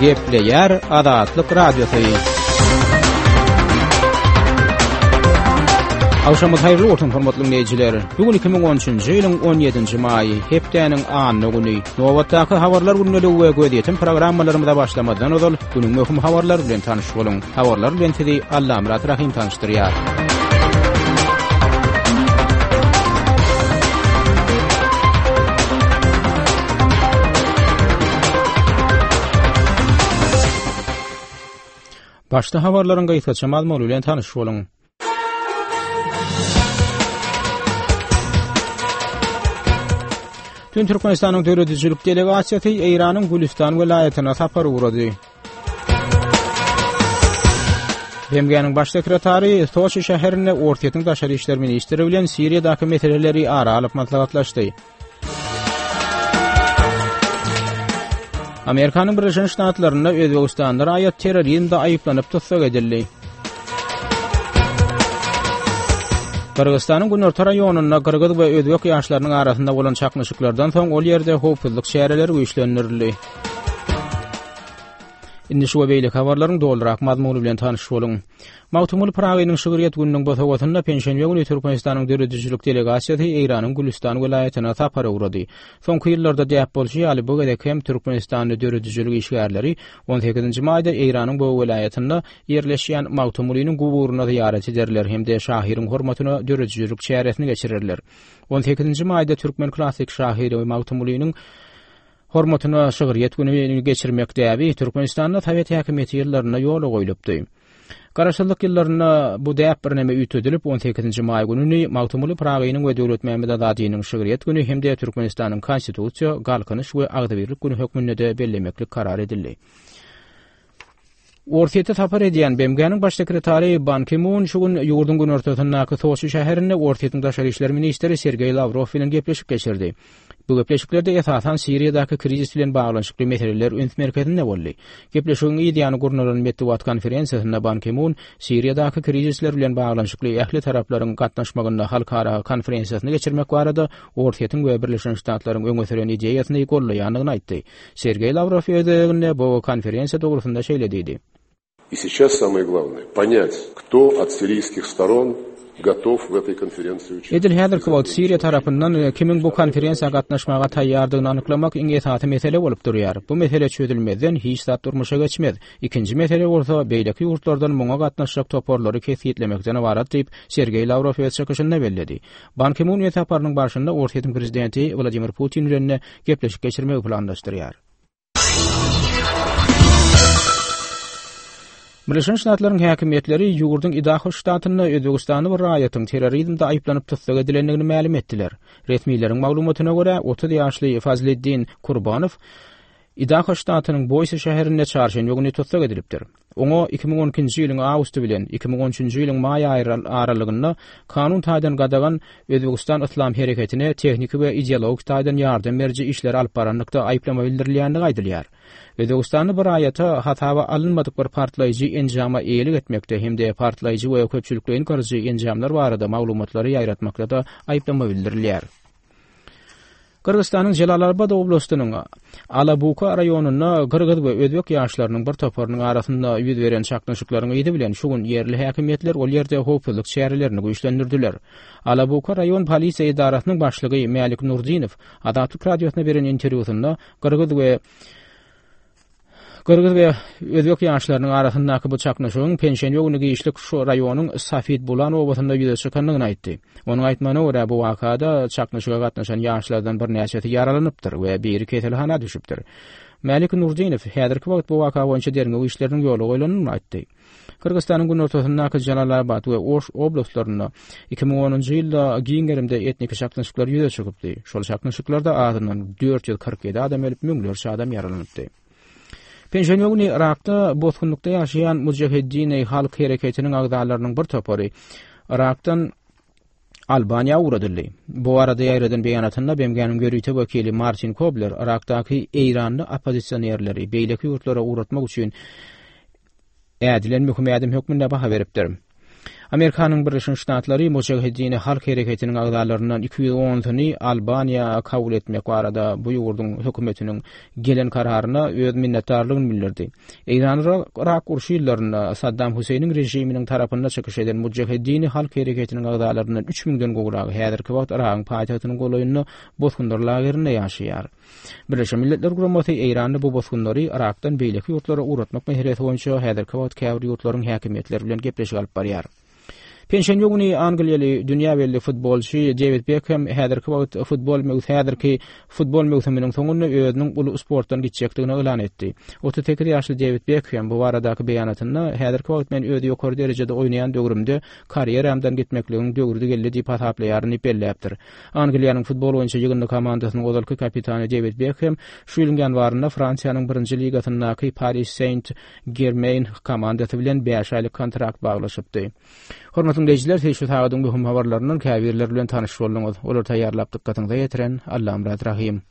Gepleýär Azatlyk Radiosy. Agşamyňyz haýyrly bolsun, hormatly diňleýjiler. Bu gün 2013-nji ýylyň 17-nji maýy, hepdäniň anna güni. Nobatdaky habarlar gündeligi we gözýetim programmalarymyza başlamazdan ozal, günüň möhüm habarlary bilen tanyş boluň. Habarlar bilen sizi Allamyrat Rahym tanyşdyrýar. Başda habarlaryň gysgaça mazmuny bilen tanyş boluň. Dün Türkmenistanyň döredijilik delegasiýasy Eýranyň Gülüstan welaýatyna sapar ugrady. BMG-niň baş sekretary Soçi şäherinde Orsýetiň daşary işler ministri bilen Siriýadaky meseleleri ara alyp maslahatlaşdy. Amerikanyň Birleşen Ştatlarynda Özbegistanly raýat terrorizmde aýyplanyp tussag edildi. Gyrgyzystanyň günorta raýonynda gyrgyz we özbek ýaşlarynyň arasynda bolan çaknyşyklardan soň ol ýerde howpsuzlyk çäreleri güýçlendirildi. Indi şu we beýleki habarlaryň dolurak mazmuny bilen tanyş boluň. Magtymguly Pyragynyň şygryýet gününiň bosagasynda penşenbe güni Türkmenistanyň döredijilik delegasiýasy Eýranyň Gülüstan welaýatyna sapara ugrady. Soňky ýyllarda däp bolşy ýaly, bu gezek hem türkmenistanly döredijilik işgärleri on sekizinji maýda Eýranyň bu welaýatynda ýerleşýän Magtymgulynyň guburyna zyýarat ederler hem-de şahyryň hormatyna döredijilik çäresini geçirerler. On sekizinji maýda türkmen klassyk şahyry Magtymgulynyň Hormatyna şygryýet gününi geçirmek däbi Türkmenistanda sowet häkimiýeti ýyllarynda ýola goýlupdy. Garaşsyzlyk ýyllarynda bu däp birneme üýtgedilip, on sekizinji maý gününi Magtymguly Pyragynyň we Döwletmämmet Azadynyň şygryýet güni hem-de Türkmenistanyň Konstitusiýa, Galkynyş we agzybirlik güni hökmünde-de bellemeklik karar edildi. Orsýete sapar edýän BMG-niň Baş sekretary Ban Ki-mun şu gün ýurduň günortasyndaky Soçi şäherinde Orsýetiň daşary işler ministri Sergeý Lawrow bilen gepleşik geçirdi. Bu gepleşiklerde esasan Siriýadaky krizis bilen baglanyşykly meseleler üns merkezinde boldy. Gepleşigiň yz ýany gurnalan metbugat konferensiýasynda Ban Ki-mun Siriýadaky krizisler bilen baglanyşykly ähli taraplaryň gatnaşmagynda halkara konferensiýasyny geçirmek barada Orsýetiň we Birleşen Ştatlaryň öňe süren ideýasyny goldaýandygyny aýtdy. Sergeý Lawrow öz gezeginde bu konferensiýa dogrusynda şeýle diýdi. И сейчас самое главное, понять, кто от сирийских сторон готов в этой konferensiýa участвовать. Edil häzirki wagt Siriýa tarapyndan kimiň bu konferensiýa gatnaşmaga taýýardygyny anyklamak iň esasy mesele bolup durýar. Bu mesele çözülmezden hiç zat durmuşa geçmez. Ikinji mesele bolsa, beýleki ýurtlardan muňa gatnaşjak toparlary kesgitlemekden ybarat diýip, Sergeý Lawrow öz çykyşynda belledi. Ban Ki-mun öz saparynyň barşynda Orsýetiň prezidenti Wladimir Putin bilen gepleşik geçirmegi planlaşdyrýar. Birleşen Ştatlaryň häkimiýetleri ýurduň Idaho ştatynda özbegistanly bir raýatyň terrorizmde aýyplanyp tussag edilendigini mälim etdiler. Resmileriň maglumatyna görä, 30 ýaşly Fazliddin Kurbanow Idaho ştatynyň Boýsi şäherinde çarşenbe güni tussag edilipdir. Oňa 2012-nji ýylyň awgusty bilen 2013-nji ýylyň maý aýy aralygynda kanun taýdan gadagan Özbegistan Yslam hereketine tehniki we ideologik taýdan ýardam beriji işleri alyp baranlykda aýyplama bildirilýändigi aýdylýar. Özbegistanly bir raýata hasaba alynmadyk bir partlaýjy enjama eýelik etmekde hem-de partlaýjy we köpçülikleýin gyryjy enjamlar barada maglumatlary ýaýratmakda-da aýyplama bildirilýär. Gyrgyzystanyň Jelalabat oblastynyň Alabuka raýonynda gyrgyz we özbek ýaşlarynyň bir toparynyň arasynda ýüz beren çaknyşyklaryň yzy bilen şu gün ýerli häkimiýetler ol ýerde howpsuzlyk çärelerini güýçlendirdiler. Alabuka raýon polisiýa edarasynyň başlygy Mälik Nurdinow Azatlyk Radiosyna beren interwýusynda gyrgyz we Gyrgyz we özbek ýaşlarynyň arasyndaky bu çaknyşygyň penşenbe güni giçlik şu raýonyň Safid Bulan obasynda ýüze çykandygyny aýtdy. Onuň aýtmagyna görä, bu wakada çaknyşyga gatnaşan ýaşlardan birnäçesi ýaralanypdyr we biri keselhana düşüpdir. Mälik Nurdinow häzirki wagt bu waka boýunça derňew işleriniň ýola goýlandygyny aýtdy. Gyrgyzystanyň günortasyndaky Jalalabat we Oş oblastlarynda 2010-njy ýylda giň gerimde etniki çaknyşyklar ýüze çykypdy. Şol çaknyşyklarda azyndan 447 adam ölüp, müňlerçe adam ýaralanypdy. Penşenbe güni Yrakda bosgunlykda ýaşaýan Mujaheddin-i Halk hereketiniň agzalarynyň bir topary Yrakdan Albaniýa ugradyldy. Bu barada ýaýradan beýanatynda BMG-niň ýörite wekili Martin Kobler Yrakdaky eýranly oppozisionerleri beýleki ýurtlara ugratmak üçin ädilen möhüm ädim hökmünde baha beripdir. Amerikanyň Birleşen Ştatlary Mujaheddini halk hereketiniň agzalaryndan 210-syny Albaniýa kabul etmek barada bu ýurduň hökümetiniň gelen kararyna öz minnetdarlygyny bildirdi. Eýran-Yrak urşy ýyllarynda Saddam Hüseýniň režiminiň tarapynda çykyş eden Mujaheddini halk hereketiniň agzalaryndan üç müňden gowragy häzirki wagt Yragyň paýtagtynyň golaýynda bosgunlar lagerinde ýaşaýar. Birleşen Milletler Guramasy Eýranda bu bosgunlary Yrakdan beýleki ýurtlara ugratmak meselesi boýunça häzirki wagt käbir ýurtlaryň häkimiýetleri bilen gepleşik alyp barýar. Penşenbe güni angliýaly dünýä belli futbolçy Dewid Bekhem häzirki wagt futbol häzirki futbol möwsüminiň soňunda özüniň uly sportdan gitjekdigini yglan etdi. 38 ýaşly Dewid Bekhem bu baradaky beýanatynda häzirki wagt men öz ýokary derejede oýnaýan döwrümde karýeramdan gitmekligiň döwrüdi geldi diýip hasaplaýaryn diýip belläpdir. Angliýanyň futbol boýunça ýygyndy komandasynyň ozalky kapitany Dewid Bekhem şu ýylyň ýanwarynda Fransiýanyň birinji ligasyndaky Paris Saint-Germain komandasy bilen bäş aýlyk kontrakt baglaşypdy. Hormatly diňleýjiler, siz şu sagadyň möhüm habarlaryndan käbirleri bilen tanyş bolduňyz. Olary taýýarlap dykgatyňyza ýetiren Allamyrat Rahym.